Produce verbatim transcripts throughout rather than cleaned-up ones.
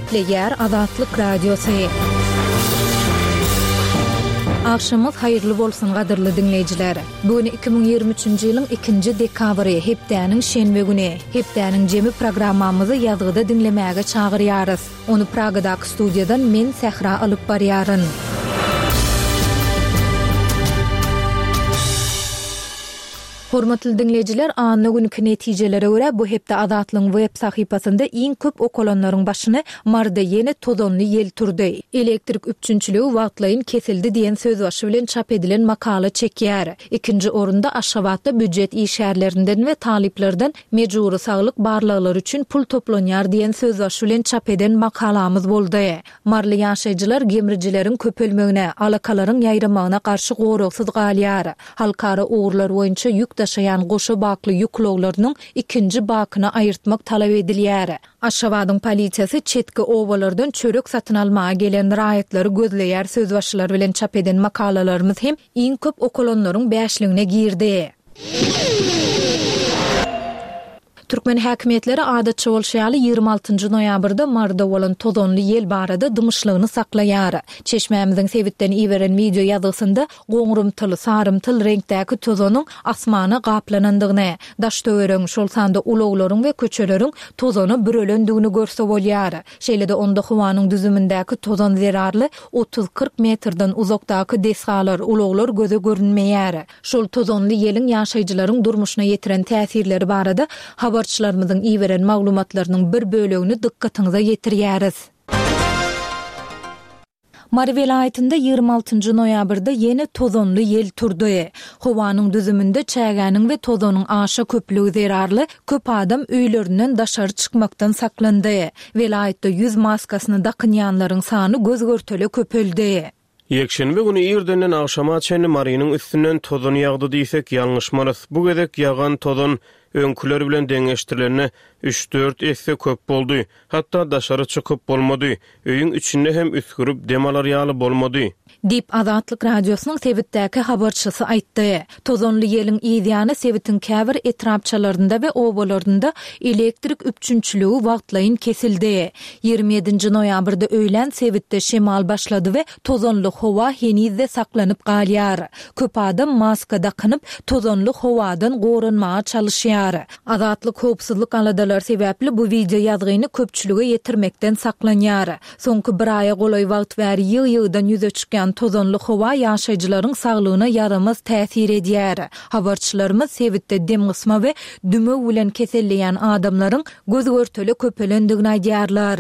Gepleýär Azatlyk Radiosy. Agşamyňyz haýyrly bolsun gadyrly diňleýjiler. Bu gün iki müň ýigrimi üçünji ýylyň ikinji dekabry, hepdäniň şenbe güni. Hepdäniň jemi programmamyzy ýazgyda diňlemäge çagyrýarys. Ony Pragadaky studiýadan men Sähra alyp barýaryn. Hormatly diňleýjiler, anna günki netijelere görä, bu hepde Azatlygyň web sahypasynda iň köp okalanlaryň başyny Maryda ýene tozanly ýel turdy, elektrik üpjünçiligi wagtlaýyn kesildi diýen sözbaşy bilen çap edilen makala çekýär. Ikinji orunda Aşgabatda býujet işgärlerinden we talyplardan mejbury saglyk barlaglary üçin pul toplanýar diýen sözbaşy bilen çap eden makalamyz boldy. Maryly ýaşaýjylar gemrijileriň köpelmegine, alakalaryň ýaýramagyna garşy goragsyz galýar. Halkara ugurlar boýunça ýük daşaýan goşa bakly ýük ulaglarynyň ikinji bakyny aýyrtmak talap edilýär. Aşgabadyň polisiýasy çetki obalardan çörek satyn almaga gelen raýatlary gözleýär sözbaşylary bilen çap eden makalalarymyz hem iň köp okalanlaryň bäşligine girdi. Türkmen häkimiýetleri adatça bolşy ýaly ýigrimi altynjy noýabrda Maryda bolan tozanly ýel barada dymyşlygyny saklaýar. Çeşmämiziň sebitden iberen wideo ýazgysynda goňrumtyl, sarymtyl reňkdäki tozanyň asmana gaplanandygyny, daş-töweregiň, şol sanda ulaglaryň we köçeleriň tozana bürelendigini görse bolýar. Şeýle-de onda howanyň düzümindäki tozan zerarly otuz-kyrk metrden uzakdaky desgalar, ulaglar göze görünmeýär. Şol tozanly ýeliň ýaşaýjylaryň durmuşyna ýetiren täsirleri barada habarçylarymyzyň iberen maglumatlarynyň bir bölegini dykgatyňyza ýetirýäris. Mary welaýatynda ýigrimi altynjy noýabrda ýene tozanly ýel turdy. Howanyň düzüminde çägäniň we tozanyň aşa köplügi zerarly köp adam öýlerinden daşary çykmakdan saklandy. Welaýatda ýüz maskasyny dakynýanlaryň sany göz-görtele köpeldi. Ýekşenbe güni irdenden agşama çenli Marynyň üstünden tozan ýagdy diýsek ýalňyşmarys. Bu gezek ýagan tozan öňküler bilen deňeşdirilende üç-dört esse köp boldy. Hatda daşary çykyp bolmady. Öýüň içinde hem üsgürip dem alar ýaly bolmady. Diýip, Azatlyk Radiosynyň sebitdäki habarçysy aýtdy. Tozanly ýeliň yz ýany sebitiň käbir etrapçalarynda we obalarynda elektrik üpjünçiligi wagtlaýyn kesildi. Ýigrimi ýedinji noýabrda öýlän sebitde şemal başlady we tozanly howa heniz-de saklanyp galýar. Köp adam maska dakynyp, tozanly howadan goranmaga çalyşýar. Azatlyk howpsuzlyk aladalary sebäpli bu wideo ýazgyny köpçülige ýetirmekden saklanýar. Soňky bir aýa golaý wagt bäri ýygy-ýygydan ýüze çykýan tozanly howa ýaşaýjylaryň saglygyna ýaramaz täsir edýär. Habarçylarymyz sebitde demgysma we dümew bilen keselleýän adamlaryň göz-görtele köpelendigini aýdýarlar.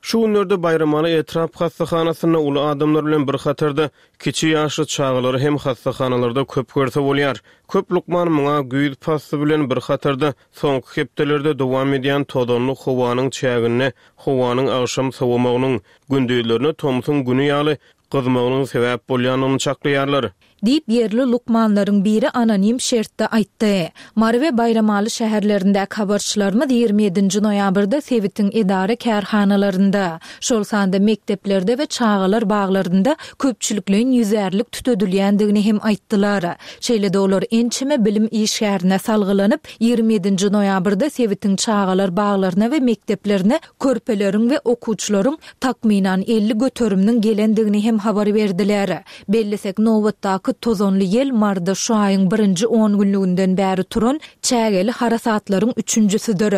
Şu günlerde Baýramaly etrap hassahanasynda uly adamlar bilen bir hatarda kiçi ýaşly çagalary hem hassahanalarda köp görse bolýar. Köp lukman muňa güýz pasly bilen bir hatarda soňky hepdelerde dowam edýän tozanly howanyň çäginde howanyň agşam sowamagynyň, gündizlerine tomsuň güni ýaly gyzmagynyň sebäp bolýandygyny çaklaýarlar. Diýip, ýerli lukmanlaryň biri anonim şertde aýtdy. Mary we Baýramaly şäherlerindäki habarçylarymyz ýigrimi ýedinji noýabrda sebitiň edara-kärhanalarynda, şol sanda mekdeplerde we çagalar baglarynda köpçülikleýin ýüzärlik tütedilýändigini hem aýtdylar. Şeýle-de olar ençeme bilim işgärine salgylanyp, ýigrimi ýedinji noýabrda sebitiň çagalar baglaryna we mekdeplerine körpeleriň we okuwçylaryň takmynan elli göteriminiň gelendigini hem habar berdiler. Bellesek, nobatdaky tozanly ýel Maryda şu aýyň birinji on günlüginden bäri turan çägeli harasatlaryň üçünjisidir.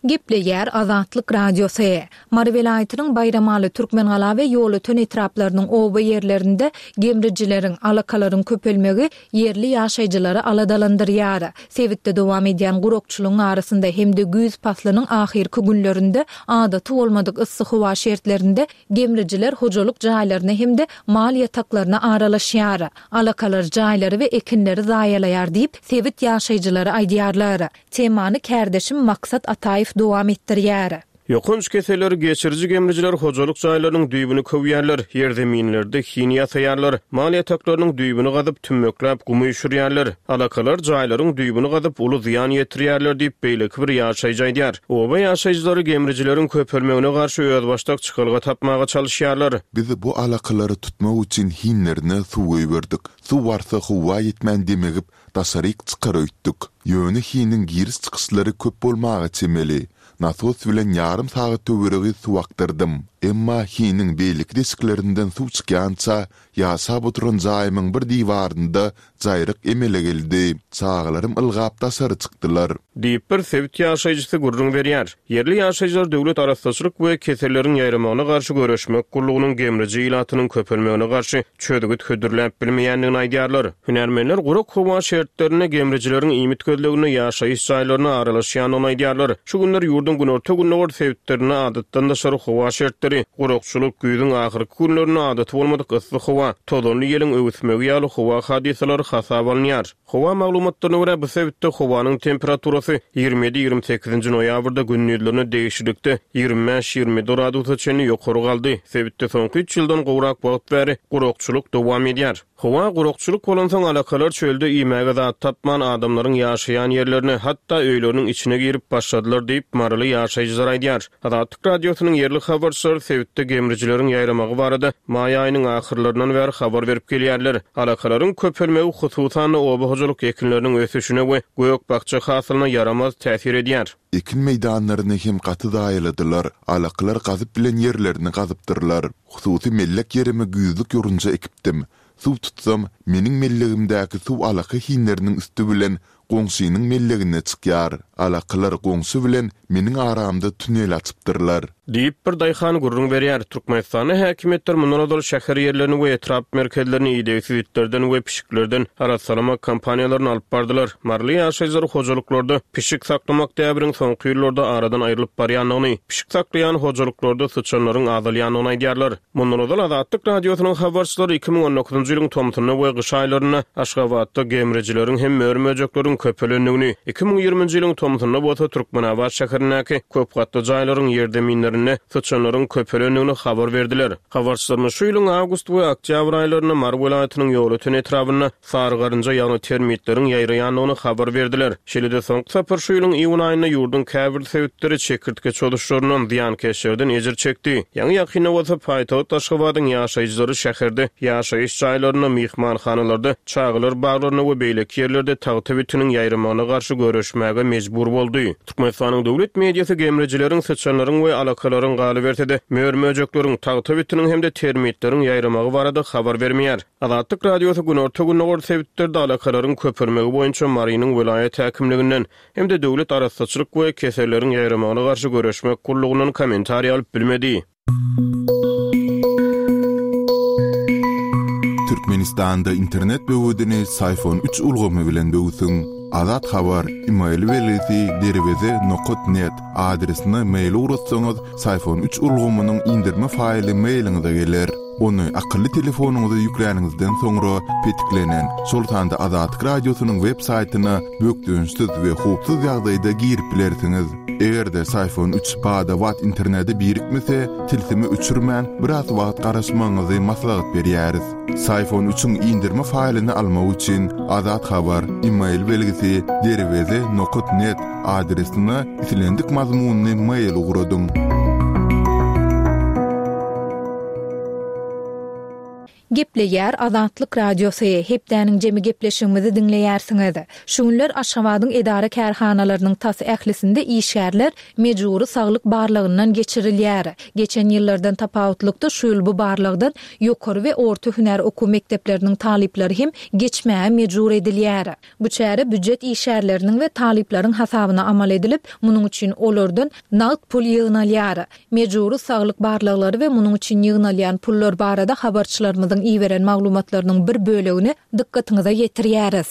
Gepleýär Azatlyk Radiosy. Mary welaýatynyň Baýramaly, Türkmengala we Ýolöten etraplarynyň oba ýerlerinde gemrijileriň, alakalaryň köpelmegi ýerli ýaşaýjylary aladalandyrýar. Sebitde dowam edýän gurakçylygyň arasynda hem-de güýz paslynyň ahyrky günlerinde adaty bolmadyk yssy howa şertlerinde gemrijiler hojalyk jaýlaryna hem-de mal ýataklaryna aralaşýar. Alakalar jaýlary we ekinleri zaýalaýar diýip, sebit ýaşaýjylary aýdýarlar. Temany kärdeşim Maksat Ataýew dowam etdirýär. Ýokanç keselleri geçiriji gemrijiler hojalyk jaýlarynyň düýbüni köwýärler, ýerzeminlerde hin ýasaýarlar, mal ýataklarynyň düýbüni gazyp, tümmekläp gum üýşürýärler. Alakalar jaýlaryň düýbüni gazyp, uly zyýan ýetirýärler diýip, beýleki bir ýaşaýjy aýdýar. Oba ýaşaýjylary gemrijileriň köpelmegine garşy özbaşdak çykalga tapmaga çalyşýarlar. Biz bu alakalary tutmak üçin hinlerine suw goýberdik. Suw barsa howa ýetmän demigip, daşaryk çykar öýtdük. Ýöne hiniň giriş-çykyşlary köp bolmaga çemeli. Nasos bilen ýarym sagat töweregi suw akdyrdym. Emma hiniň beýleki deşiklerinden suw çykýança, ýaşap oturan jaýymyň bir diwarynda jaýryk emele geldi. Çagalarym ylgap daşary çykdylar. Diýip, bir sebit ýaşaýjysy gürrüň berýär. Ýerli ýaşaýjylar Döwlet arassaçylyk we keselleriň ýaýramagyna garşy göreşmek gullugynyň gemriji ilatynyň köpelmegine garşy çözgüt hödürläp bilmeýändigini aýdýarlar. Hünärmenler gurak howa şertlerinde gemrijileriň iýmit gözleginde ýaşaýyş jaýlaryna aralaşýandygyny aýdýarlar. Şu günler ýurduň günorta-gündogar sebitlerinde adatdan daşary howa şertleri, gurakçylyk, güýzüň ahyrky günlerinde adaty bolmadyk yssy howa, tozanly ýeliň öwüsmegi ýaly howa hadysalary hasaba alynýar. Howa maglumatlaryna görä, bu sebitde howanyň temperaturasy ýigrimi ýedi-ýigrimi sekizinji noýabrda gündizlerine degişlilikde ýigrimi bäş-ýigrimi ýedi gradusa çenli ýokary galdy. Sebitde soňky üç ýyldan gowrak wagt bäri gurakçylyk dowam edýär. Howa gurakçylyk bolansoň alakalar çölde iýmäge zat tapman adamlaryň ýaşaýan ýerlerine, hatda öýleriniň içine girip başladylar diýip, maryly ýaşaýjylar aýdýar. Azatlyk Radiosynyň ýerli habarçylary sebitde gemrijileriň ýaýramagy barada maý aýynyň ahyrlaryndan bäri habar berip gelýärler. Alakalaryň köpelmegi hususan-da oba hojalyk ekinleriniň ösüşine we gök-bakja hasylyna ýaramaz täsir edýär. Ekin meýdanlaryny hem gaty zaýaladylar, alakalar gazyp bilen ýerlerini gazypdyrlar. Hususy mellek ýerime güýzlük ýorunja ekipdim. Suw tutsam, meniň mellegimdäki suw alaka hinleriniň üsti bilen goňşynyň mellegine çykýar. Alakalar goňşy bilen meniň aramda tünel açypdyrlar. Diýip, bir daýhan gürrüň berýär. Türkmenistanda häkimiýetler mundan ozal şäher ýerlerini we etrap merkezlerini idegsiz itlerden we pişiklerden arassalamak kampaniýalaryny alyp bardylar. Maryly ýaşaýjylar hojalyklarda pişik saklamak däbiniň soňky ýyllarda aradan aýrylyp barýandygyny, pişik saklaýan hojalyklarda syçanlaryň azalýandygyny aýdýarlar. Mundan ozal Azatlyk Radiosynyň habarçylary iki müň on dokuzynjy ýylyň tomsunda we gyş aýlarynda Aşgabatda gemrijileriň hem mör-möjekleriň köpelendigini, iki müň ýigriminji ýylyň tomsunda bolsa Türkmenabat şäherindäki köp gatly jaýlaryň ýerzeminlerinde syçanlaryň köpelendigini habar berdiler. Habarçylarymyz şu ýylyň awgust we oktýabr aýlarynda Mary welaýatynyň Ýolöten etrabynda sary garynja, ýagny termitleriň ýaýraýandygyny habar berdiler. Şeýle-de soňky sapar şu ýylyň iýun aýynda ýurduň käbir sebitleri çekirtge çozuşlaryndan, zyýankeşlerden ejir çekdi. Ýaňy ýakynda bolsa paýtagt Aşgabadyň ýaşaýjylary şäherde ýaşaýyş jaýlarynda, myhmanhanalarda, çagalar baglarynda we beýleki ýerlerde tagta bitiniň ýaýramagyna garşy göreşmäge mejbur boldy. Türkmenistanyň döwlet mediasy gemrijileriň, syçanlaryň we alakalaryň galyberse-de mör-möjekleriň, tagta bitiniň hem-de termitleriň ýaýramagy barada habar bermeýär. Azatlyk Radiosy günorta-gündogar sebitlerde alakalaryň köpelmegi boýunça Marynyň welaýat häkimliginden hem-de Döwlet arassaçylyk we keselleriň ýaýramagyna garşy göreşmek gullugyndan kommentariý alyp bilmedi. Türkmenistanda internet böwedini Syfon üç ulgamy bilen böwsüň. Azat Habar, e-mail belgisi derweze nokat net adresine mail ugratsaňyz, Syfon üç ulgamynyň indirme faýly mailiňize geler. Ony akylly telefonyňyza ýükläniňizden soňra petiklenen, şol sanda Azatlyk Radiosynyň web saýtyna bökdençsiz we howpsuz ýagdaýda girip bilersiňiz. Eger-de Syfon üç bada-bat internete birikmese, tilsimi öçürmän biraz wagt garaşmagyňyzy maslahat berýäris. Syfon üçiň indirme faýlyny almak üçin Azat Habar, e-mail belgisi derweze nokat net adresine islendik mazmunyny mail ugradyň. Gepleýär Azatlyk Radiosy. Hepdäniň jemi gepleşigimizi diňleýärsiňiz. Şu günler Aşgabadyň edara kärhanalarynyň tas ählisinde işgärler mejbury saglyk barlagyndan geçirilýär. Geçen ýyllardan tapawutlykda şu ýyl bu barlagdan ýokary we orta hünär okuw mekdepleriniň talyplary hem geçmäge mejbur edilýär. Bu çäre büdjet işgärleriniň we talyplaryň hasabyna amal edilip, munuň üçin olardan nagt pul ýygnalýar. Mejbury saglyk barlaglary we munuň üçin ýygnalýan pullar barada habarçylarymyzyň iberen maglumatlarynyň bir bölegini dykgatyňyza ýetirýäris.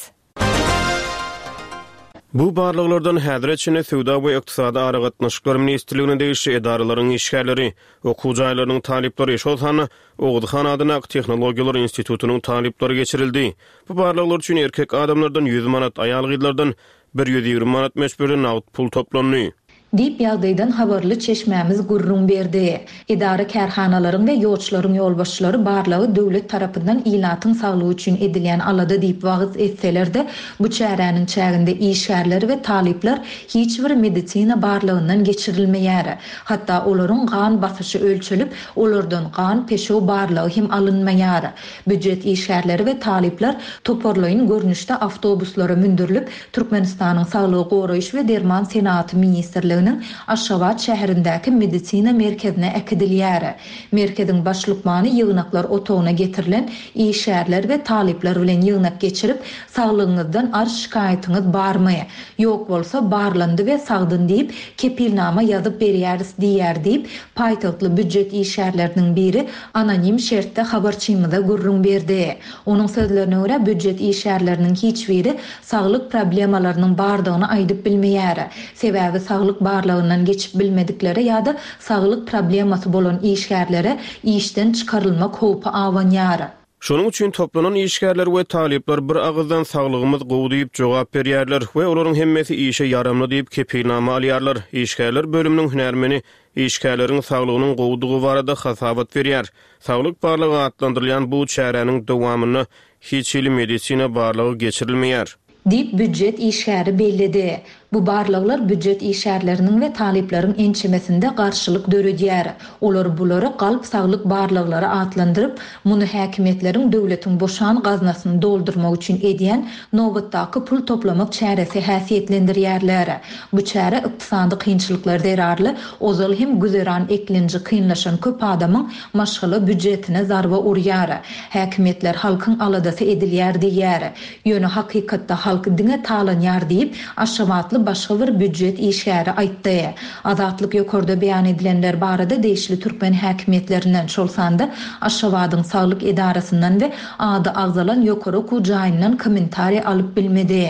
Bu barlaglardan häzire çenli Söwda we Ykdysady aragatnaşyklar ministrligine degişli edaralaryň işgärleri, okuw jaýlarynyň talyplary, şol sanda Oguzhan adyndaky Tehnologiýalar institutynyň talyplary geçirildi. Bu barlaglar üçin erkek adamlardan ýüz manat, aýal gyzlardan bir ýüz ýigrimi manat möçberde nagt pul toplandy. Diýip, ýagdaýdan habarly çeşmämiz gürrüň berdi. Edara-kärhanalaryň we ýoçlaryň ýolbaşçylary barlagy döwlet tarapyndan ilatyň saglygy üçin edilýän alada diýip wagyz etseler-de, bu çäräniň çäginde işgärler we talyplar hiç bir medisina barlagyndan geçirilmeýär. Hatda olaryň gan basyşy ölçelip, olardan gan-peşew barlagy hem alynmaýar. Býujet işgärleri we talyplar toparlaýyn görnüşde awtobuslara mündürilip, Türkmenistanyň Saglygy goraýyş we derman senagaty ministrliginiň Aşgabat şäherindäki medisina merkezine äkidilýär. Merkeziň baş lukmany ýygnaklar otagyna getirilen işgärler we talyplar bilen ýygnak geçirip, Saglygyňyzdan arz-şikaýatyňyz barmy? Ýok bolsa, barlandy we sagdyn diýip, kepilnama ýazyp berýäris diýýär diýip, paýtagtly býujet işgärleriniň biri anonim şertde habarçymyza gürrüň berdi. Onuň sözlerine görä, býujet işgärleriniň hiç biri saglyk problemalarynyň bardygyny aýdyp bilmeýär. Sebäbi saglyk barlagyndan geçip bilmediklere ýa-da saglyk problemasy bolan işgärlere işden çykarylmak howpy abanýar. Şonuň üçin toplanan işgärler we talyplar bir agyzdan saglygymyz gowy diýip jogap berýärler we olaryň hemmesi işe ýaramly diýip kepilnama alýarlar. Işgärler bölüminiň hünärmeni işgärleriň saglygynyň gowudygy barada hasabat berýär. Saglyk barlagy atlandyrylýan bu çäräniň dowamynda hiç hili medisina barlagy geçirilmeýär. Diýip, býujet işgäri belledi. Bu barlaglar býujet işgärleriniň we talyplaryň ençemesinde garşylyk döredýär. Olar bulary galp saglyk barlaglary atlandyryp, muny häkimiýetleriň döwletiň boşan gaznasyny doldurmak üçin edýän nobatdaky pul toplamak çäresi häsiýetlendirýärler. Bu çäre ykdysady kynçylyklar zerarly ozal hem güzeran eklenji kynlaşan köp adamyň maşgala býujetine zarba urýar. Häkimiýetler halkyň aladasy edilýär diýýär. Ýöne hakykatda halk diňe talanýar diýip, aşgabatly başga bir býujet işgäri aýtdy. Azatlyk ýokarda beýan edilenler barada degişli türkmen häkimiýetlerinden, şol sanda Aşgabadyň saglyk edarasyndan we ady agzalan ýokary okuw jaýyndan kommentariý alyp bilmedi.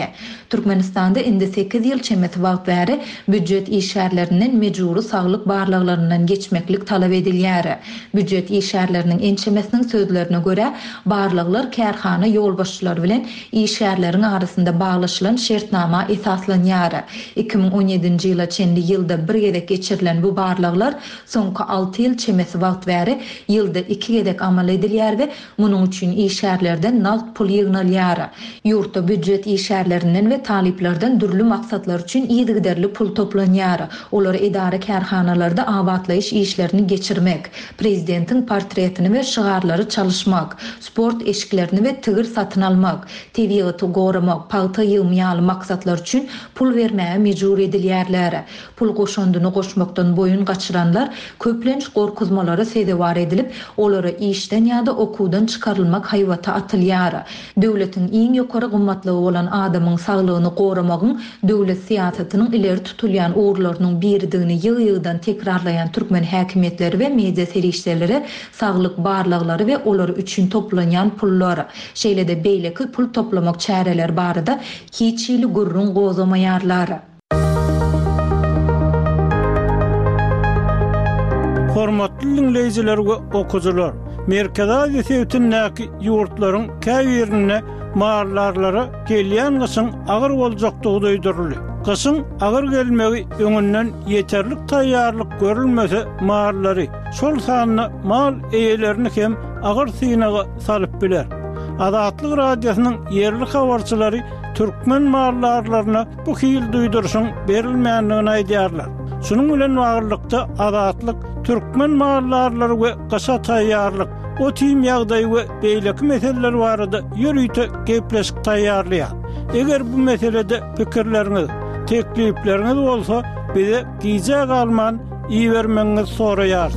Türkmenistanda indi sekiz ýyl çemesi wagt bäri býujet işgärlerinden mejbury saglyk barlaglaryndan geçmeklik talap edilýär. Býujet işgärleriniň ençemesiniň sözlerine görä, barlaglar kärhana ýolbaşçylary bilen işgärleriň arasynda baglaşylan şertnama esaslanýar. Iki müň on ýedinji ýyla çenli ýylda bir gezek geçirilen bu barlaglar soňky alty ýyl çemesi wagt bäri ýylda iki gezek amal edilýär we munuň üçin işgärlerden nagt pul ýygnalýar. Ýurtda býujet işgärlerinden we talyplardan dürli maksatlar üçin yzygiderli pul toplanýar. Olar edara kärhanalarda abatlaýyş işlerini geçirmek, prezidentiň portretini we şygarlary çalyşmak, sport eşiklerini we tigir satyn almak, tebigaty goramak, pagta ýygymy ýaly maksatlar üçin pul bermäge mejbur edilýärler. Pul goşundyny goşmakdan boýun gaçyranlar köplenç gorkuzmalara sezewar edilip, olara işden ýa-da okuwdan çykarylmak haýbaty atylýar. Döwletiň iň ýokary gymmatlygy bolan adamyň saglygyny goramagyň döwlet syýasatynyň ileri tutulýan ugurlarynyň biridigini ýygy-ýygydan tekrarlaýan türkmen häkimiýetleri we media serişdeleri saglyk barlaglary we olar üçin toplanýan pullar, şeýle-de beýleki pul toplamak çäreleri barada hiç hili gürrüň gozamaýarlar. Hormatly dinleýjiler we okuwçylar, Merkezi Aziýa sebitindäki ýurtlaryň käbirinde mallarlara gelýän gyşyň agyr boljakdygy duýduryldy. Gyşyň agyr gelmegi öňünden ýeterlik taýýarlyk görülmese mallary, şol sanda mal eýelerini hem agyr synaga salyp biler. Azatlyk Radiosynyň ýerli habarçylary türkmen mallarlaryna bu hil duýduryşyň berilmändigini aýdýarlar. Şunuň bilen baglylykda Azatlyk türkmen mallarlary we gyşa taýýarlyk, otim ýagdaýy we beýleki meseleler barada ýörite gepleşik taýýarlaýar. Eger bu meselede pikirleriňiz, teklipleriňiz bolsa, bize gijä galman ibermegiňizi soraýarys.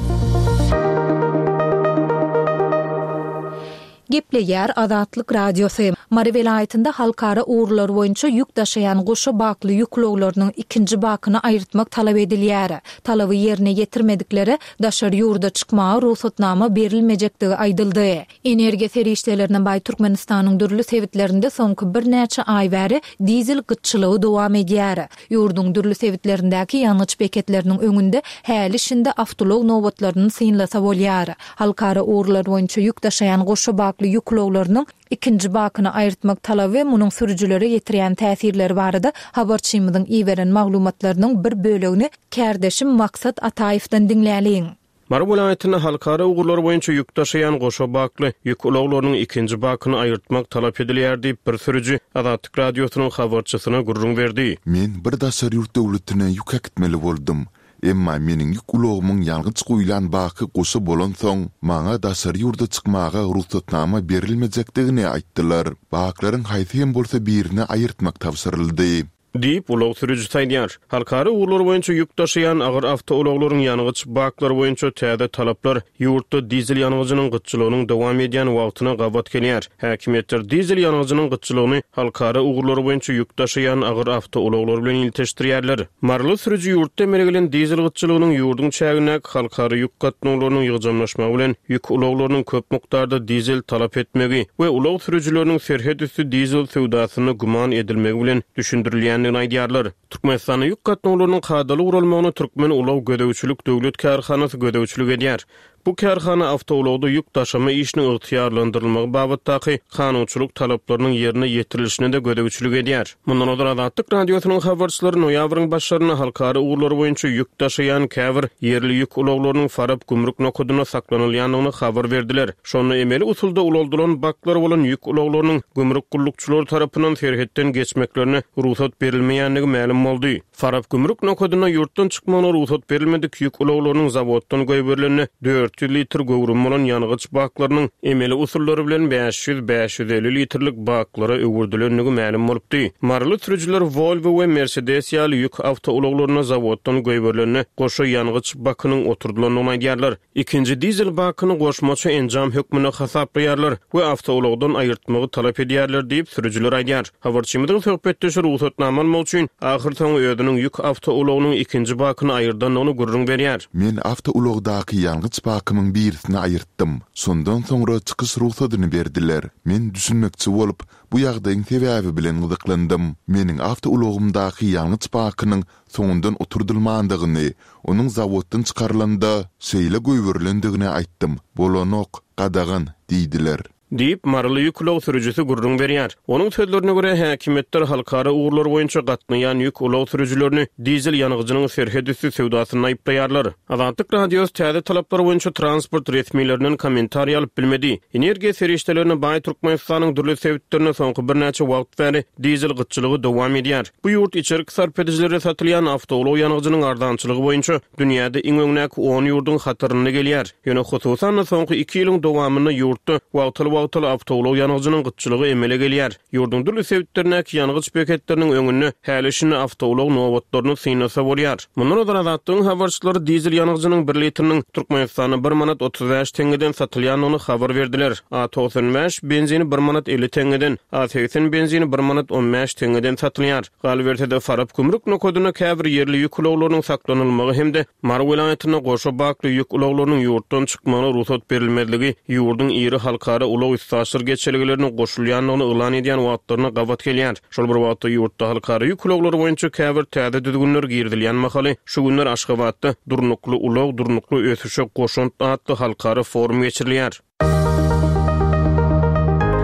Gepleýär Azatlyk Radiosy. Mary welaýatynda halkara ugurlar boýunça ýük daşaýan goşa bakly ýük ulaglarynyň ikinji bakyny aýyrtmak talap edilýär. Talaby ýerine ýetirmediklere daşary ýurda çykmaga rugsatnama berilmejekdigi aýdyldy. Energiýa serişdelerine baý Türkmenistanyň dürli sebitlerinde soňky birnäçe aý bäri dizel gytçylygy dowam edýär. Ýurduň dürli sebitlerindäki ýangyç beketleriniň öňünde häli şindi awtoulag nobatlaryny synlasa bolýar. Halkara ugurlar boýunça ýük daşaýan goşa bakly ýük ulaglarynyň Ikinji bakyny aýyrtmak talaby we munuň sürüjilere ýetirýän täsirleri barada habarçymyzyň iberen maglumatlarynyň bir bölegini kärdeşim Maksat Ataýewden diňläliň. Mary welaýatynda halkara ugurlary boýunça ýük daşaýan goşa bakly ýük ulaglarynyň ikinji bakyny aýyrtmak talap edilýär diýip, bir sürüji Azatlyk Radiosynyň habarçysyna gürrüň berdi. Men bir daşary ýurt döwletine ýük äkitmeli boldum. Emma meniň ýük ulagymyň ýangyç guýlan baky goşa bolansoň, maňa daşary ýurda çykmaga rugsatnama berilmejekdigini aýtdylar. Baklaryň haýsy hem bolsa birini aýyrtmak tabşyryldy. Diýip, ulag sürüjisi aýdýar. Halkara ugurlary boýunça ýük daşaýan agyr awtoulaglaryň ýangyç baklary boýunça täze talaplar ýurtda dizel ýangyjynyň gytçylygynyň dowam edýän wagtyna gabat gelýär. Häkimiýetler dizel ýangyjynyň gytçylygyny halkara ugurlary boýunça ýük daşaýan agyr awtoulaglar bilen ilteşdirýärler. Maryly sürüji ýurtda emele gelen dizel gytçylygynyň ýurduň çägindäki halkara ýük gatnawlarynyň ýygjamlaşmagy bilen ýük ulaglarynyň köp mukdarda dizel talap etmegi we ulag sürüjileriniň serhet üsti dizel söwdasyna güman edilmegi bilen düşündirilýändigini aýdýarlar. Türkmenistanda ýük gatnawlarynyň kadaly guralmagyna Türkmen ulag gözegçilik döwlet kärhanasy gözegçilik edýär. Bu kärhana awtoulagda ýük daşama işiniň ygtyýarlandyrylmagy babatdaky kanunçylyk talaplarynyň ýerine ýetirilişine-de gözegçilik edýär. Mundan ozal Azatlyk Radiosynyň habarçylary noýabryň başlarynda halkara ugurlary boýunça ýük daşaýan käbir ýerli ýük ulaglarynyň Farap gümrük nokadynda saklanylýandygyny habar berdiler. Şonda emeli usulda ulaldylan baklar bolan ýük ulaglarynyň gümrük gullukçylary tarapyndan serhetden geçmeklerine rugsat berilmeýändigi mälim boldy. Farap gümrük nokadynda ýurtdan çykmagyna rugsat berilmedik ýük ulaglarynyň zawoddan goýberilende dört ýüz litr göwrüm bolan ýangyç baklarynyň emeli usullary bilen bäş ýüz, bäş ýüz elli litrlik baklara öwürdilendigi mälim bolupdy. Maryly sürüjiler Volvo we Mercedes ýaly ýük awtoulaglaryna zawoddan goýberilende goşa ýangyç bakynyň oturdylandygyny aýdýarlar. Ikinji dizel bakyny goşmaça enjam hökmünde hasaplaýarlar we awtoulagdan aýyrtmagy talap edýärler diýip sürüjiler aýdýar. Habarçymyzyň söhbetdeşi rugsatnama almak üçin ahyrsoňy özüniň ýük awtoulagynyň ikinji bakyny aýyrdandygyny gürrüň berýär. Men awtoulagdaky ýangyç bakymyň birisini aýyrtdym. Şondan soňra çykyş rugsadyny berdiler. Men düşünmekçi bolup, bu ýagdaýyň sebäbi bilen gyzyklandym. Meniň awtoulagymdaky ýangyç bakynyň soňundan oturdylmandygyny, onuň zawoddan çykarylanda şeýle goýberilendigini aýtdym. Bolanok, gadagan diýdiler. Diýip, Maryly ýük ulag sürüjisi gürrüň berýär. Onuň sözlerine görä, häkimiýetler halkara ugurlary boýunça gatnaýan ýük ulag sürüjilerini dizel ýangyjynyň serhet üsti söwdasynda aýyplaýarlar. Azatlyk Radiosy täze talaplar boýunça transport resmilerinden kommentariý alyp bilmedi. Energiýa serişdelerine baý Türkmenistanyň dürli sebitlerinde soňky birnäçe wagt bäri dizel gytçylygy dowam edýär. Bu ýurt içerki sarp edijilere satylýan awtoulag ýangyjynyň arzançylygy boýunça dünýäde iň öňdäki on ýurduň hatarynda gelýär. Ýöne hususan-da soňky iki ýylyň dowamynda ýurtda wagtal-wagtal awtoulag ýangyjynyň gytçylygy emele gelýär. Ýurduň dürli sebitlerindäki ýangyç beketleriniň öňünde häli-şindi awtoulag nobatlaryny synlasa bolýar. Mundan ozal Azatlygyň habarçylary dizel ýangyjynyň bir litriniň Türkmenistanda bir manat otuz bäş teňňeden satylýandygyny habar berdiler. A togsan bäş benzini bir manat elli teňňeden, A segsen benzini bir manat on bäş teňňeden satylýar. Galyberse-de Farap gümrük nokadynda käbir ýerli ýük ulaglarynyň saklanylmagy hem-de Mary welaýatynda goşa bakly ýük ulaglarynyň ýurtdan çykmagyna rugsat berilmezligi ýurduň iri halkara ulag üstaşyr geçelgelerine goşulýandygyny yglan edýän wagtlaryna gabat gelýär. Şol bir wagtda ýurtda halkara ýük ulaglary boýunça käbir täze düzgünler girizilýän mahaly şu günler Aşgabatda Durnukly ulag, durnukly ösüşe goşant atly halkara forum geçirilýär.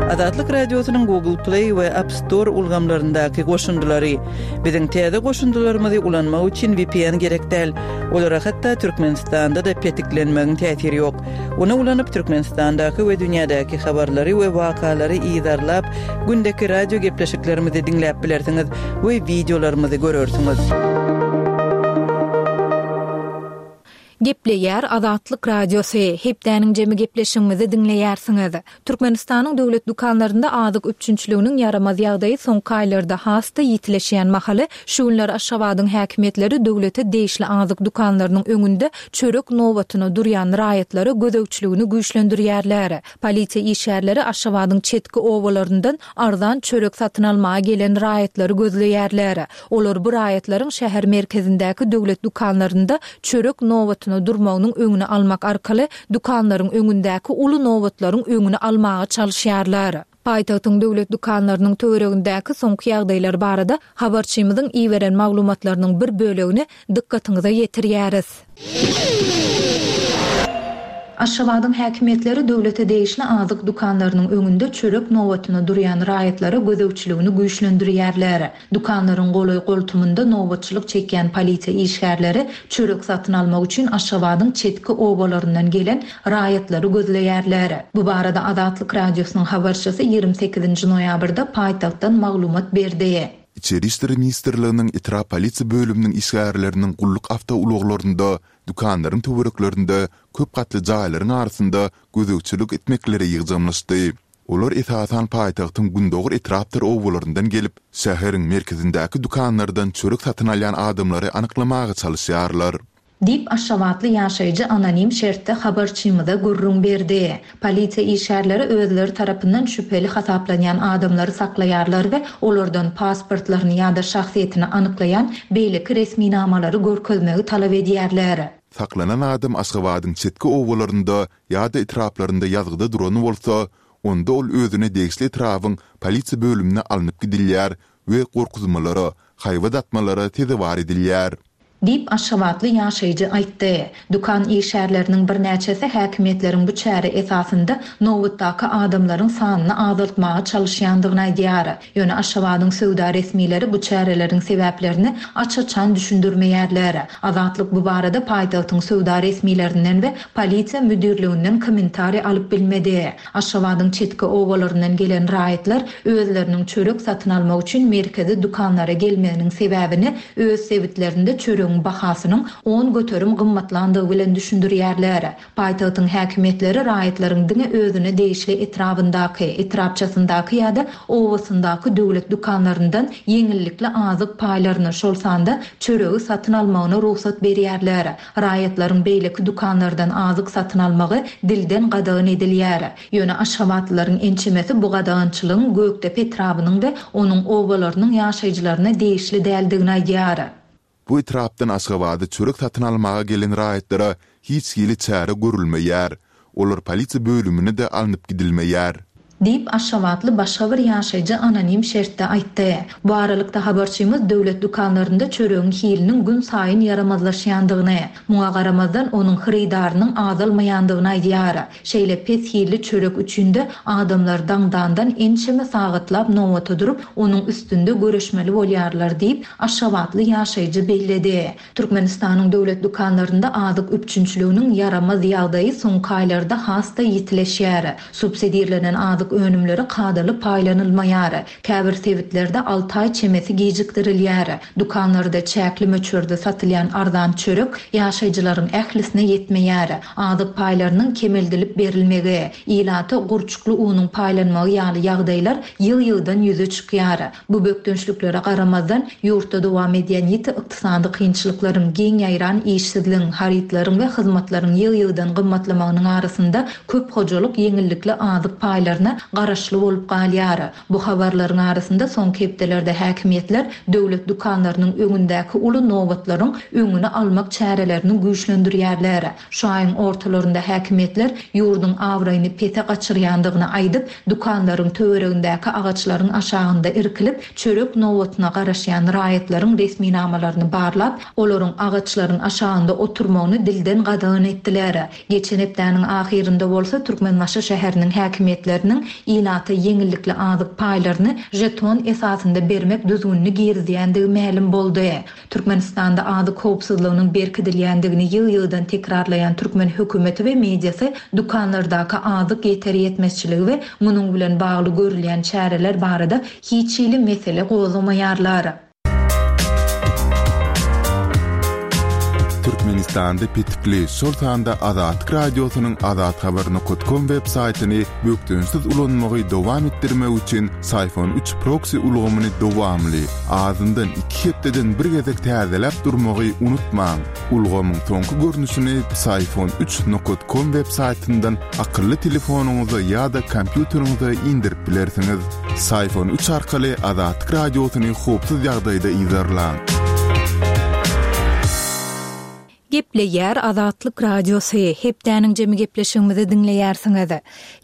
Azatlyk Radiosynyň Google Play we App Store ulgamlaryndaky goşundylary. Biziň täze goşundylarymyzy ulanmak üçin V P N gerek däl. Olara hatda Türkmenistanda da petiklenmegiň täsiri ýok. Ony ulanyp Türkmenistandaky we dünýädäki habarlary we wakalary yzarlap, gündeki radio gepleşiklerimizi diňläp bilersiňiz we videolarymyzy görersiňiz. Gepleýär Azatlyk Radiosy. Hepdäniň jemi gepleşigimizi diňleýärsiňiz. Türkmenistanyň döwlet dükanlarynda azyk üpjünçiliginiň ýaramaz ýagdaýy soňky aýlarda has-da ýitileşýän mahaly şu günler Aşgabadyň häkimiýetleri döwlete degişli azyk dükanlarynyň öňünde çörek nobatyna durýan raýatlara gözegçiligini güýçlendirýärler. Polisiýa işgärleri Aşgabadyň çetki obalaryndan arzan çörek satyn almaga gelen raýatlary gözleýärler. Olar bu raýatlaryň şäher merkezindäki döwlet dükanlarynda çörek nobatyna durmagynyň öňüni almak arkaly dükanlaryň öňündäki uly nobatlaryň öňüni almaga çalyşýarlar. Paýtagtyň döwlet dükanlarynyň töweregindäki soňky ýagdaýlar barada habarçymyzyň iberen maglumatlarynyň bir bölegini dykgatyňyza ýetirýäris. Aşgabadyň häkimiýetleri döwlete degişli azyk dükanlarynyň öňünde çörek nobatyna durýan raýatlara gözegçiligini güýçlendirýärler. Dükanlaryň golaý-goltumynda nobatçylyk çekýän polisiýa işgärleri çörek satyn almak üçin Aşgabadyň çetki obalaryndan gelen raýatlary gözleýärler. Bu barada Azatlyk Radiosynyň habarçysy ýigrimi sekizinji noýabrda paýtagtdan maglumat berdi. Içeri işler ministrliginiň etrap polisiýa bölüminiň işgärleriniň gulluk awtoulaglarynda, dükanlaryň töwereklerinde, köp gatly jaýlaryň arasynda gözegçilik etmekleri ýygjamlaşdy. Olar esasan paýtagtyň gündogar etrapdyr obalaryndan gelip, şäheriň merkezindäki dükanlardan çörek satyn alýan adamlary anyklamaga çalyşýarlar. Diýip, aşgabatly ýaşaýjy anonim şertde habarçymyza gürrüň berdi. Polisiýa işgärleri özleri tarapyndan şübheli hasaplanýan adamlary saklaýarlar we olardan pasportlaryny ýa-da şahsyýetini anyklaýan beýleki resminamalary görkezmegi talap edýärler. Saklanan adam Aşgabadyň çetki obalarynda ýa-da etraplarynda ýazgyda duran bolsa, onda ol özüne degişli etrabyň polisiýa bölümine alnyp gidilýär we gorkuzmalara, haýbat atmalara sezewar edilýär. Diýip, aşgabatly ýaşaýjy aýtdy. Dükan işgärleriniň birnäçesi häkimiýetleriň bu çäre esasynda nobatdaky adamlaryň sanyny azaltmaga çalyşýandygyny aýdýar. Ýöne Aşgabadyň söwda resmileri bu çäreleriň sebäplerini aç-açan düşündirmeýärler. Azatlyk bu barada paýtagtyň söwda resmilerinden we polisiýa müdirliginden kommentariý alyp bilmedi. Aşgabadyň çetki obalaryndan gelen raýatlar özleriniň çörek satyn almak üçin merkezi dükanlara gelmeginiň sebäbini öz sebitlerinde çöregiň bahasynyň on göterim gymmatlandygy bilen düşündirýärler. Paýtagtyň häkimiýetleri raýatlaryň diňe özüne degişli etrabyndaky, etrapçasyndaky ýa-da obasyndaky döwlet dükanlaryndan ýeňillikli azyk paýlaryny, şol sanda çöregi satyn almagyna rugsat berýärler. Raýatlaryň beýleki dükanlardan azyk satyn almagy dilden gadagan edilýär. Ýöne aşgabatlylaryň ençemesi bu gadagançylygyň Gökdepe etrabynyň we onuň obalarynyň ýaşaýjylaryna degişli däldigini aýdýar. Bu etrapdan Aşgabada çörek satyn almaga gelen raýatlara hiç hili çäre görülmeýär. Olar polisiýa bölümine de alnyp gidilmeýär. Diýip, aşgabatly başga bir ýaşaýjy anonim şertde aýtdy. Bu aralykda habarçymyz döwlet dükanlarynda çöregiň hiliniň gün saýyn ýaramazlaşýandygyny, muňa garamazdan onuň hyrydarynyň azalmaýandygyny aýdýar. Şeýle pes hilli çörek üçin-de adamlar daňdandan ençeme sagatlap nobata durup, onuň üstünde görüşmeli bolýarlar diýip, aşgabatly ýaşaýjy belledi. Türkmenistanyň döwlet dükanlarynda azyk üpjünçiliginiň ýaramaz ýagdaýy soňky aýlarda has-da ýitileşýär. Subsidirlenen azyk önümleri kadaly paýlanylmaýar. Käbir sebitlerde alty aý çemesi gijikdirilýär. Dükanlarda çäkli möçberde satylýan arzan çörek ýaşaýjylaryň ählisine ýetmeýär. Azyk paýlarynyň kemeldilip berilmegi, ilata gurçukly unuň paýlanmagy ýaly ýagdaýlar ýyl-ýyldan ýüze çykýar. Bu bökdençliklere garamazdan ýurtda dowam edýän ýiti ykdysady kynçylyklaryň, giň ýaýran işsizligiň, harytlaryň we hyzmatlaryň ýyl-ýyldan gymmatlamagynyň arasynda köp hojalyk ýeňillikli azyk paýlaryna garaşly bolup galýar. Bu habarlaryň arasynda soňky hepdelerde häkimiýetler döwlet dükanlarynyň öňündäki uly nobatlaryň öňüni almak çärelerini güýçlendirýärler. Şu aýyň ortalarynda häkimiýetler ýurduň abraýyny pese gaçyrýandygyny aýdyp, dükanlaryň töweregindäki agaçlaryň aşagynda irkilip, çörek nobatyna garaşýan raýatlaryň resminamalaryny barlap, olaryň agaçlaryň aşagynda oturmagyny dilden gadagan etdiler. Geçen hepdäniň ahyrynda bolsa Türkmenbaşy şäheriniň häkimiýetleriniň ilata ýeňillikli azyk paýlaryny jeton esasynda bermek düzgünini girizýändigi mälim boldy. Türkmenistanda azyk howpsuzlygynyň berkidilýändigini ýyl-ýyldan tekrarlaýan türkmen hökümeti we mediasy dükanlardaky azyk ýeter ýetmezçiligi we munuň bilen bagly görülýän çäreler barada hiç hili mesele gozgamaýarlar. Türkmenistanda petikli, şol sanda Azatlyk Radiosynyň azathabar nokta com web saýtyny bökdençsiz ulanmagy dowam etdirmek üçin Syfon üç proxy ulgamyny dowamly, azyndan iki hepdeden bir gezek täzeläp durmagy unutmaň. Ulgamyň soňky görnüşini Syfon üç nokta com web saýtyndan akylly telefonyňyza ýa-da kompýuteriňize indirip bilersiňiz. Syfon üç arkaly Azatlyk Radiosyny howpsuz ýagdaýda yzarlaň. Gepleýär Azatlyk Radiosy, hepdäniň jemi gepleşigimizi diňleýärsiňiz.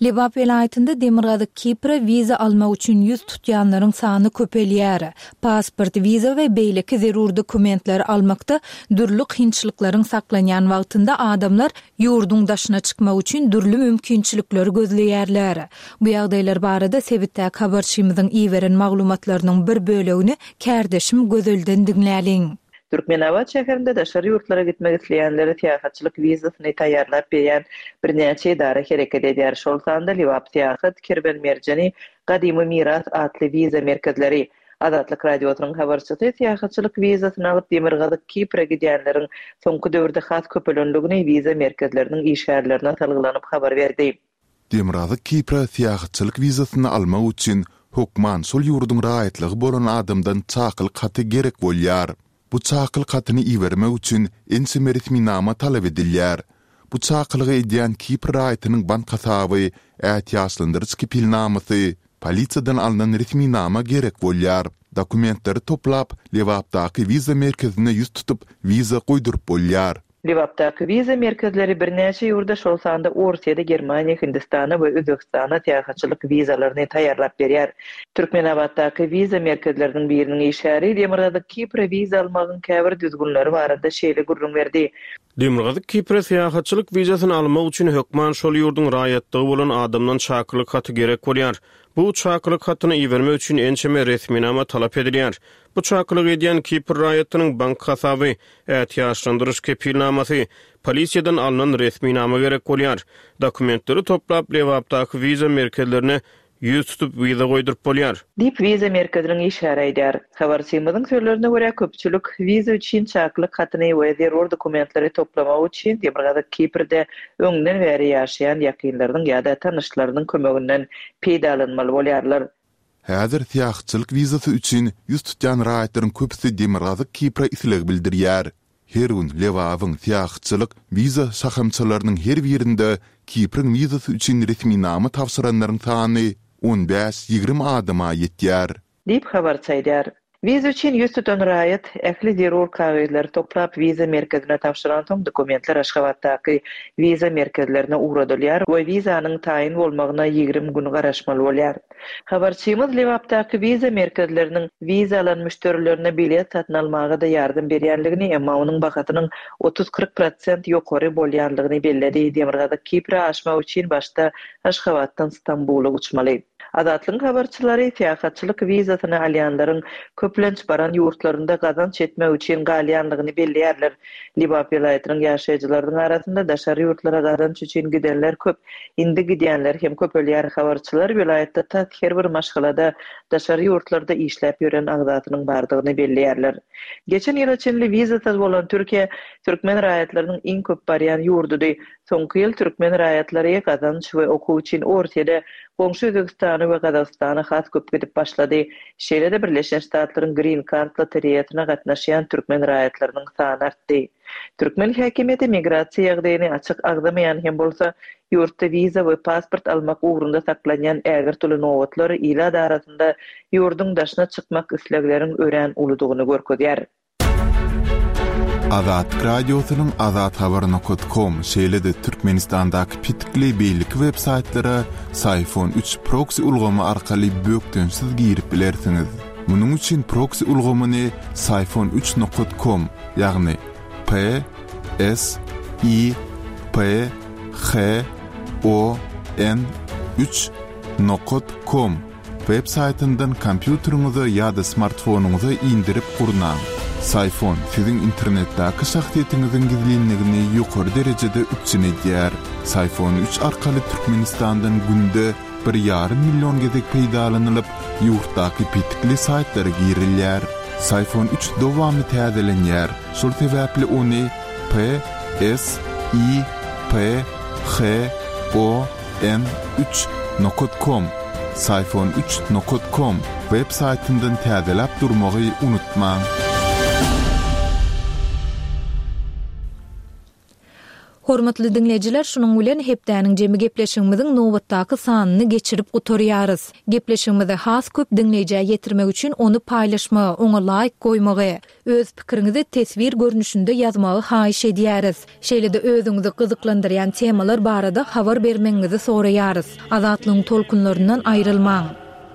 Lebap welaýatynda Demirgazyk Kipre wiza almak üçin ýüz tutýanlaryň sany köpelýär. Pasport, wiza we beýleki zerur dokumentleri almakda dürli kynçylyklaryň saklanýan wagtynda adamlar ýurduň daşyna çykmak üçin dürli mümkinçilikleri gözleýärler. Bu ýagdaýlar barada sebitdäki habarçymyzyň iberen maglumatlarynyň bir bölegini kärdeşim Gözelden diňläliň. Türkmenabat şäherinde daşary ýurtlara gitmek isleýänlere syýahatçylyk wizasyny taýýarlap berýän birnäçe edara hereket edýär, şol sanda Lebap Syýahat, Kerwen Merjeni, Gadymy Miras atly wiza merkezleri. Azatlyk Radiosynyň habarçysy syýahatçylyk wizasyny alyp Demirgazyk Kipre gidýänleriň soňky döwürde has köpelendigini wiza merkezleriniň işgärlerine salgylanyp habar berdi. Demirgazyk Kipre syýahatçylyk wizasyny almak üçin hökman şol ýurduň raýatlygy bolan adamdan çakylyk haty gerek bolýar. Bu çakylyk hatyny ibermek üçin ençeme resminama talap edilýär. Bu çakylygy edýän Kipr raýatynyň bank hasaby, ätiýaçlandyryş kepilnamasy, polisiýadan alnan resminama gerek bolýar. Dokumentleri toplap, Lebapdaky wiza merkezine ýüz tutup, wiza goýduryp bolýar. Lebapdaky wiza merkezleri birnäçe ýurda, şol sanda Orsýete, Germaniýa, Hindistana we Özbegistana syýahatçylyk wizalaryny taýýarlap berýär. Türkmenabatdaky wiza merkezleriniň biriniň işgäri Demirgazyk Kipre wiza almagyň käbir düzgünleri barada şeýle gürrüň berdi. Demirgazyk Kipre syýahatçylyk wizasyny almak üçin hökman şol ýurduň raýatlygy bolan adamdan çakylyk haty gerek bolýar. Bu çakylyk hatyny ibermek üçin ençeme resminama talap edilýär. Bu çakylyk edýän Kipr raýatynyň bank hasaby, ätiýaçlandyryş kepilnamasy, polisiýadan alnan resminama gerek bolýar. Dokumentleri toplap, Lebapdaky wiza merkezlerine ýüz tutup wiza goýduryp bolýar. Diýip, wiza merkeziniň işgäri aýdýar. Habarçymyzyň sözlerine görä, köpçülik wiza üçin çakylyk hatyny we zerur dokumentleri toplamak üçin Demirgazyk Kiprde öňden bäri ýaşaýan ýakynlarynyň ýa-da tanyşlarynyň kömeginden peýdalanmaly bolýarlar. Häzir syýahatçylyk wizasy üçin ýüz tutýan raýatlaryň köpüsi Demirgazyk Kipre isleg bildirýär. Her gün Lebabyň syýahatçylyk wiza şahamçalarynyň her birinde Kipriň wizasy üçin resminama tabşyranlaryň sany on bäş-ýigrimi adama ýetýär. Diýip, habarçy aýdýar. Wiza üçin ýüz tutan raýat ähli zerur kagyzlary toplap wiza merkezine tabşyransoň dokumentler Aşgabatdaky wiza merkezlerine ugradylýar we wizanyň taýyn bolmagyna ýigrimi gün garaşmaly bolýar. Habarçymyz Lebapdaky wiza merkezleriniň wiza alan müşderilerine bilet satyn almaga-da ýardam berýänligini, emma onuň bahasynyň otuz-kyrk prosent ýokary bolýanlygyny belledi. Demirgazyk Kipre aşmak üçin başda Aşgabatdan Stambula uçmaly. Azatlygyň habarçylary syýahatçylyk wizasyny alýanlaryň köplenç baran ýurtlarynda gazanç etmek üçin galýanlygyny belleýärler. Lebap welaýatynyň ýaşaýjylarynyň arasynda daşary ýurtlara gazanç üçin gidenler köp, indi gidýänler hem köpelýär. Habarçylar welaýatda tas her bir maşgalada daşary ýurtlarda işläp ýören agzasynyň bardygyny belleýärler. Geçen ýyla çenli wizasyz bolan Türkiýe türkmen raýatlarynyň iň köp barýan ýurdudy. Soňky ýyl türkmen raýatlary gazanç we okuw üçin Orsýede, goňşy Özbegistana we Gazagystana has köp gidip başlady. Şeýle-de Birleşen Ştatlaryň Green Card lotereýasyna gatnaşýan türkmen raýatlarynyň sany artdy. Türkmen häkimiýeti migrasiýa ýagdaýyny açyk agzamaýan hem bolsa, ýurtda wiza we pasport almak ugrunda saklanýan ägirt uly nobatlar ilat arasynda ýurduň daşyna çykmak islegleriň örän uludygyny görkezýär. Azatlyk Radiosynyň azathabar nokat kom, şeýle-de Türkmenistandaky petikli beýleki web saýtlara Syfon üç proksi ulgamy arkaly bökdençsiz girip bilersiňiz. Munuň üçin proksi ulgamyny Syfon üç nokat kom, ýagny P S I P H O N üç nokat kom web saýtyndan kompýuteriňize ýa-da smartfonyňyza indirip gurnaň. Syfon siziň internetdäki şahsyýetiňiziň gizlinligini ýokary derejede üpjün edýär. Syfon üç arkaly Türkmenistandan günde bir ýarym million gezek peýdalanylyp, ýurtdaky petikli saýtlara girilýär. Syfon üç dowamly täzelenýär. Şol sebäpli ony P S I P H O N üç nokat kom, Syfon üç nokat kom web saýtyndan täzeläp durmagy unutmaň. Hormatly diňleýjiler, şunuň bilen hepdäniň jemi gepleşigimiziň nobatdaky sanyny geçirip gutarýarys. Gepleşigimizi has köp diňleýjä ýetirmek üçin ony paýlaşmagy, oňa laýk goýmagy, öz pikiriňizi teswir görnüşinde ýazmagy haýyş edýäris. Şeýle-de özüňizi gyzyklandyrýan temalar barada habar bermegiňizi soraýarys. Azatlygyň tolkunlaryndan aýrylmaň.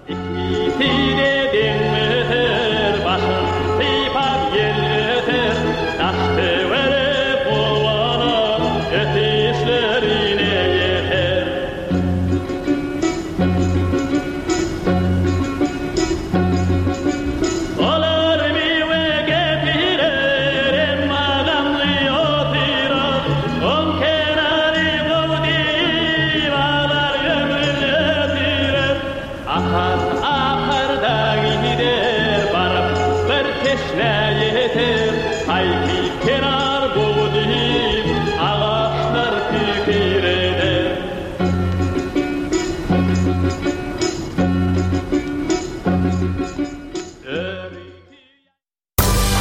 Ikisi-de deň öter, başyn sypap ýel öter, Daş-töwerek guwanar, ötüşlerine ýeter. Olar miwe getirer, emma gamly otyrar, Oň kenary gowy diýip, aglar ömrün ötürer. Akar, akar-da gider, baryp bir teşnä ýeter, Haýsy kenar